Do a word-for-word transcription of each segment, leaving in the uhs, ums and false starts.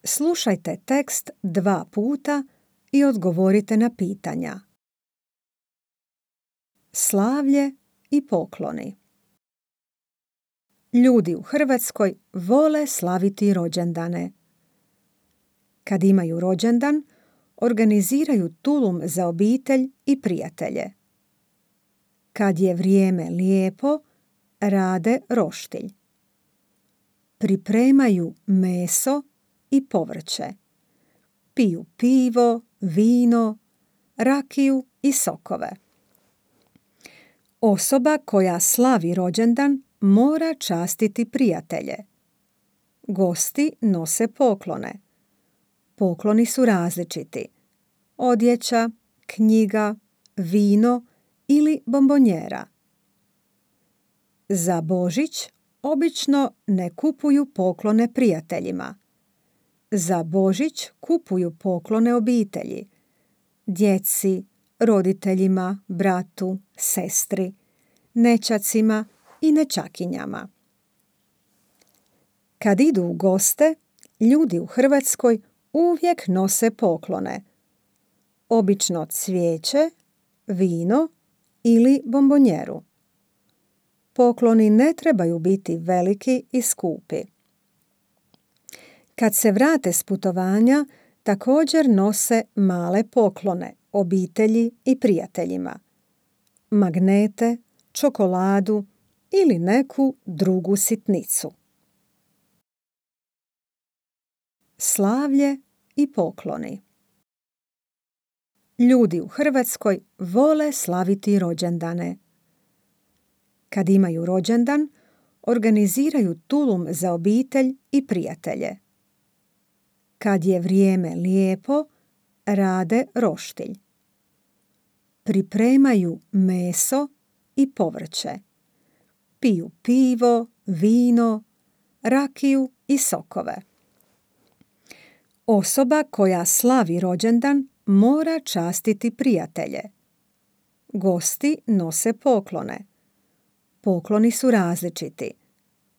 Slušajte tekst dva puta i odgovorite na pitanja. Slavlje i pokloni. Ljudi u Hrvatskoj vole slaviti rođendane. Kad imaju rođendan, organiziraju tulum za obitelj i prijatelje. Kad je vrijeme lijepo, rade roštilj. Pripremaju meso i povrće. Piju pivo, vino, rakiju i sokove. Osoba koja slavi rođendan mora častiti prijatelje. Gosti nose poklone. Pokloni su različiti. Odjeća, knjiga, vino ili bombonjera. Za Božić obično ne kupuju poklone prijateljima. Za Božić kupuju poklone obitelji, djeci, roditeljima, bratu, sestri, nećacima i nećakinjama. Kad idu u goste, ljudi u Hrvatskoj uvijek nose poklone. Obično cvijeće, vino ili bombonjeru. Pokloni ne trebaju biti veliki i skupi. Kad se vrate s putovanja, također nose male poklone obitelji i prijateljima. Magnete, čokoladu ili neku drugu sitnicu. Slavlje i pokloni. Ljudi u Hrvatskoj vole slaviti rođendane. Kad imaju rođendan, organiziraju tulum za obitelj i prijatelje. Kad je vrijeme lijepo, rade roštilj. Pripremaju meso i povrće. Piju pivo, vino, rakiju i sokove. Osoba koja slavi rođendan mora častiti prijatelje. Gosti nose poklone. Pokloni su različiti.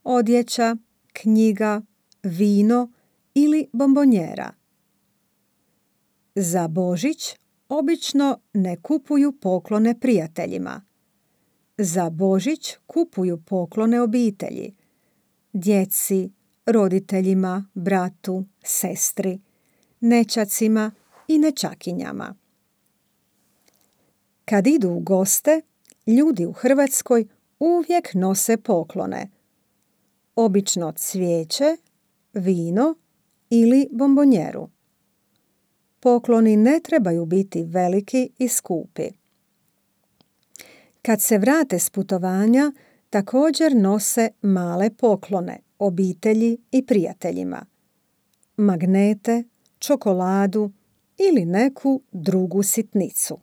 Odjeća, knjiga, vino ili bombonjera. Za Božić obično ne kupuju poklone prijateljima. Za Božić kupuju poklone obitelji, djeci, roditeljima, bratu, sestri, nećacima i nećakinjama. Kad idu u goste, ljudi u Hrvatskoj uvijek nose poklone. Obično cvijeće, vino ili bombonjeru. Pokloni ne trebaju biti veliki i skupi. Kad se vrate s putovanja, također nose male poklone obitelji i prijateljima. Magnete, čokoladu ili neku drugu sitnicu.